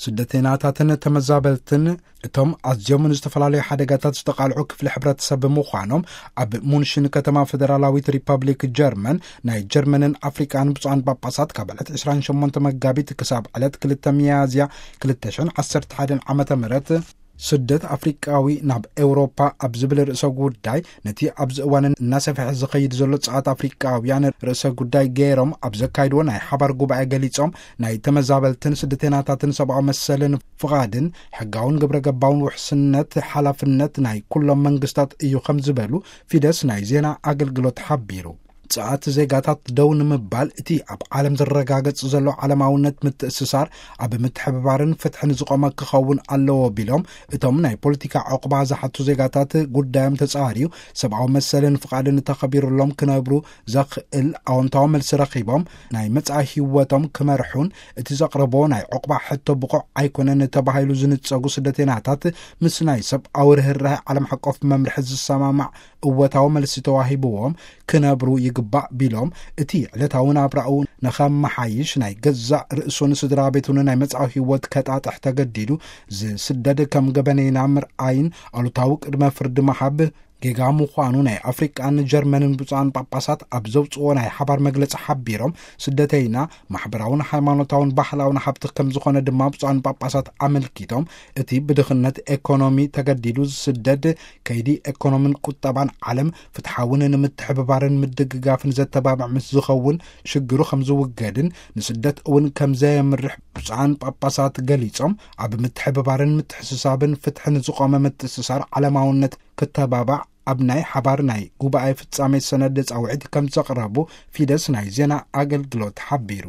ስደተይናታትን ተመዛበልትን እቶም ኣዝዮም ንዝተፈላለዩ ሓደጋታት ዝተቓልዑ ክፍሊ ሕብረተሰብ ብምዃኖም፣ ኣብ ሙንሽን ከተማ ፈደራላዊት ሪፐብሊክ ጀርመን ናይ ጀርመንን ኣፍሪቃን ብፁዓን ጳጳሳት ካብ ዕለት ዕስራን ሸሞንተ መጋቢት ክሳብ ዕለት ክልተ ሚያዝያ ክልተ ሽሕን ዓሰርተ ሓደን ዓመተ ምህረት ስደት ኣፍሪቃዊ ናብ ኤውሮፓ ኣብ ዝብል ርእሰ ጉዳይ፣ ነቲ ኣብዚ እዋን እናሰፍሐ ዝኸይድ ዘሎ ጸዓት ኣፍሪቃውያን ርእሰ ጉዳይ ገይሮም ኣብ ዘካይድዎ ናይ ሓባር ጉባኤ ገሊጾም፣ ናይ ተመዛበልትን ስደተይናታትን ሰብኣዊ መሰልን ፍቓድን ሕጋውን ግብረ ገባውን ውሕስነት ሓላፍነት ናይ ኩሎም መንግስታት እዩ ከም ዝበሉ ፊደስ ናይ ዜና ኣገልግሎት ሓቢሩ። ጸዓት ዜጋታት ደው ንምባል እቲ ኣብ ዓለም ዝረጋገጽ ዘሎ ዓለማውነት ምትእስሳር ኣብ ምትሕብባርን ፍትሕን ዝቖመ ክኸውን ኣለዎ ቢሎም፣ እቶም ናይ ፖለቲካ ዕቑባ ዝሓቱ ዜጋታት ጉዳዮም ተጻርዩ ሰብኣዊ መሰልን ፍቓድን ተኸቢሩሎም ክነብሩ ዘኽእል ኣወንታዊ መልሲ ረኺቦም ናይ መጻኢ ህይወቶም ክመርሑን እቲ ዘቕረቦ ናይ ዕቑባ ሕቶ ብቑዕ ኣይኮነን ተባሂሉ ዝንጸጉ ስደተይናታት ምስ ናይ ሰብኣዊ ርህራሄ ዓለም ሓቆፍ መምርሒ ዝሰማማዕ እወታዊ መልሲ ተዋሂብዎም ክነብሩ ይግባእ ቢሎም፣ እቲ ዕለታዊ ናብራኡ ንኸመሓይሽ ናይ ገዛእ ርእሱን ስድራ ቤቱን ናይ መጻኢ ህይወት ከጣጥሕ ተገዲዱ ዝስደድ ከም ገበነይና ምርኣይን ኣሉታዊ ቅድመ ፍርዲ ምሃብ ጌጋ ምዃኑ ናይ ኣፍሪቃን ጀርመንን ብፁዓን ጳጳሳት ኣብ ዘውፅዎ ናይ ሓባር መግለጺ ሓቢሮም፣ ስደተይና ማሕበራውን ሃይማኖታውን ባህላውን ሃብቲ ከም ዝኾነ ድማ ብፁዓን ጳጳሳት ኣመልኪቶም፣ እቲ ብድኽነት ኤኮኖሚ ተገዲዱ ዝስደድ ከይዲ ኤኮኖምን ቁጠባን ዓለም ፍትሓውን ንምትሕብባርን ምድግጋፍን ዘተባብዕ ምስ ዝኸውን ሽግሩ ከም ዝውገድን ንስደት እውን ከም ዘየምርሕ ብፁዓን ጳጳሳት ገሊጾም፣ ኣብ ምትሕብባርን ምትሕስሳብን ፍትሕን ዝቖመ ምትእስሳር ዓለማውነት ክተባባዕ ኣብ ናይ ሓባር ናይ ጉባኤ ፍጻሜ ሰነድ ጻውዒት ከም ዘቕረቡ ፊደስ ናይ ዜና ኣገልግሎት ሓቢሩ።